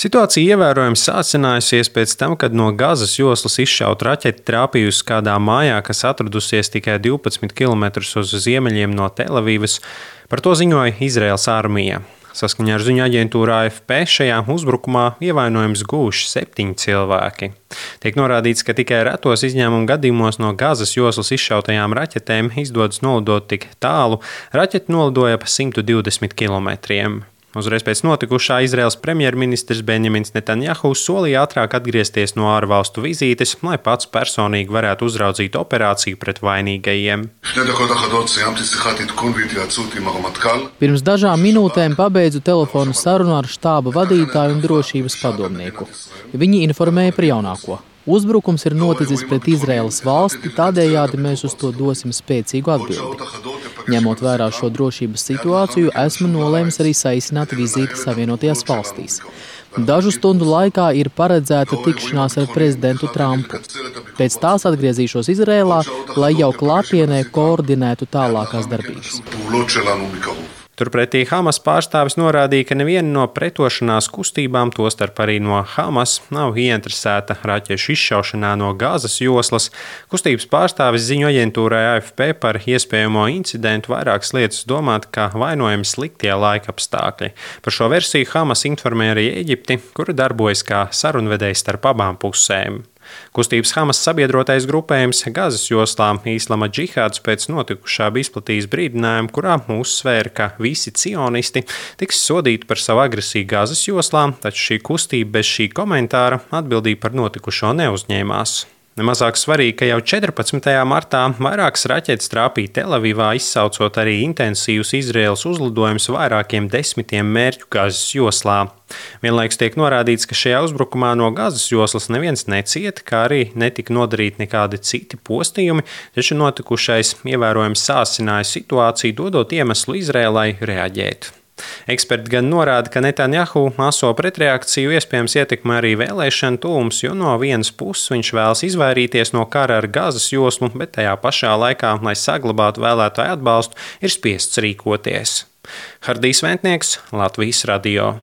Situācija ievērojami sāsinājusies pēc tam, kad no Gazas joslas izšauta raķete trāpījusi kādā mājā, kas atradusies tikai 12 km uz ziemeļiem no Telavīvas. Par to ziņoja Izraēlas armija. Saskaņā ar ziņu aģentūru AFP šajā uzbrukumā ievainojums guvuši 7 cilvēki. Tiek norādīts, ka tikai retos izņēmumu gadījumos no Gazas joslas izšautajām raķetēm izdodas nolidot tik tālu. Raķete nolidoja pa 120 km. Uzreiz pēc notikušā Izraēlas premjerministrs Benjamins Netanjahu solīja ātrāk atgriezties no ārvalstu vizītes, lai pats personīgi varētu uzraudzīt operāciju pret vainīgajiem. Pirms dažām minūtēm pabeidzu telefonu sarunu ar štāba vadītāju un drošības padomnieku. Viņi informēja par jaunāko. Uzbrukums ir noticis pret Izraēlas valsti, tādējādi mēs uz to dosim spēcīgu atbildi. Ņemot vērā šo drošības situāciju, esmu nolēmis arī saīsināt vizīti Savienotajās valstīs. Dažu stundu laikā ir paredzēta tikšanās ar prezidentu Trumpu. Pēc tās atgriezīšos Izraēlā, lai jau klātienē koordinētu tālākās darbības. Turpretī Hamas pārstāvis norādīja, ka neviena no pretošanās kustībām, tostarp arī no Hamas, nav ieinteresēta raķešu izšaušanā no Gazas joslas. Kustības pārstāvis ziņu aģentūrai AFP par iespējamo incidentu vairākas lietas domāt, ka vainojami sliktie laikapstākļi. Par šo versiju Hamas informēja arī Eģipti, kura darbojas kā sarunvedējs starp abām pusēm. Kustības Hamas sabiedrotais grupējums Gazas joslā Islama džihāds pēc notikušā bija izplatījis brīdinājumu, kurā uzsvēra, ka visi cionisti tiks sodīti par savu agresiju Gazas joslā, taču šī kustība bez šī komentāra atbildību par notikušo neuzņēmās. Nemazāk svarīgi, ka jau 14. martā vairākas raķetes trāpīja Telavīvā, izsaucot arī intensīvus Izraēlas uzlidojumus vairākiem desmitiem mērķu Gazas joslā. Vienlaikus tiek norādīts, ka šajā uzbrukumā no Gazas joslas neviens necieta, kā arī netika nodarīti nekādi citi postījumi, taču notikušais ievērojami sāsināja situāciju, dodot iemeslu Izraēlai reaģēt. Eksperti gan norāda, ka Netanjahu aso pretreakciju iespējams ietekmē arī vēlēšanu tuvums, jo no vienas puses viņš vēlas izvairīties no kara ar Gazas joslu, bet tajā pašā laikā, lai saglabātu vēlētāju atbalstu, ir spiests rīkoties. Hardijs Ventnieks, Latvijas radio.